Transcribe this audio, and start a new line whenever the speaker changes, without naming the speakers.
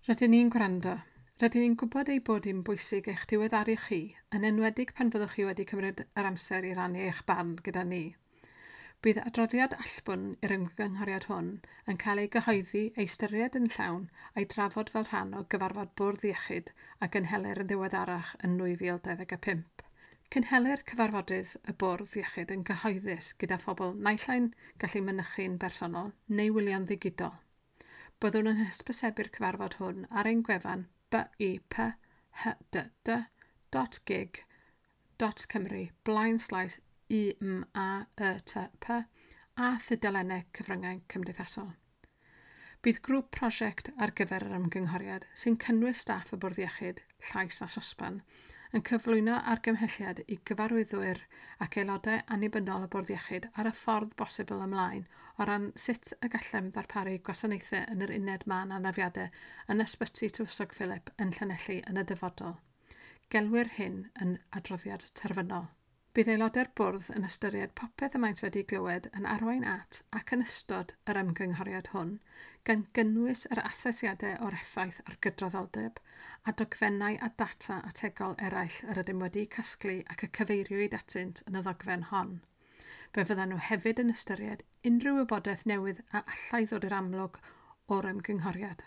Rydyn ni'n gwrando. Rydyn ni'n gwybod ei bod hi'n bwysig eich diweddaru chi, yn enwedig pan fyddwch chi wedi cymryd yr amser i rannu eich barn gyda ni. Bydd adroddiad allbwn i'r ymgynghoriad hwn yn cael ei gyhoeddi, ei ystyried yn llawn a'i drafod fel rhan o gyfarfod Bwrdd Iechyd a gynhelir yn ddiweddarach yn 2025. Cynhelir cyfarfodydd y Bwrdd Iechyd yn gyhoeddus gyda phobl naill ai'n gallu mynychu'n bersonol neu wylio'n ddigidol. Byddwn yn hysbysebu'r cyfarfod hwn ar ein gwefan biphdd.gig.cymru blaenslaes UMAETP a thudalennau cyfryngau cymdeithasol. Bydd grŵp prosiect ar gyfer yr ymgynghoriad, sy'n cynnwys staff y Bwrdd Iechyd, Llais a Sosban, yn cyflwyno argymhelliad i gyfarwyddwyr ac aelodau annibynnol y Bwrdd Iechyd ar y ffordd bosibl ymlaen o ran sut y gallem ddarparu gwasanaethau yn yr uned mân anafiadau yn Ysbyty Tywysog Philip yn Llanelli yn y dyfodol. Gelwir hyn yn adroddiad terfynol. Bydd aelodau'r bwrdd yn ystyried popeth y maent wedi glywed yn arwain at ac yn ystod yr ymgynghoriad hwn, gan gynnwys yr asesiadau o'r effaith ar gydraddoldeb a dogfennau a data ategol eraill yr ydym wedi casglu ac y cyfeiriwyd atynt yn y ddogfen hon. Fe fyddan nhw hefyd yn ystyried unrhyw wybodaeth newydd a allai ddod i'r amlwg o'r ymgynghoriad.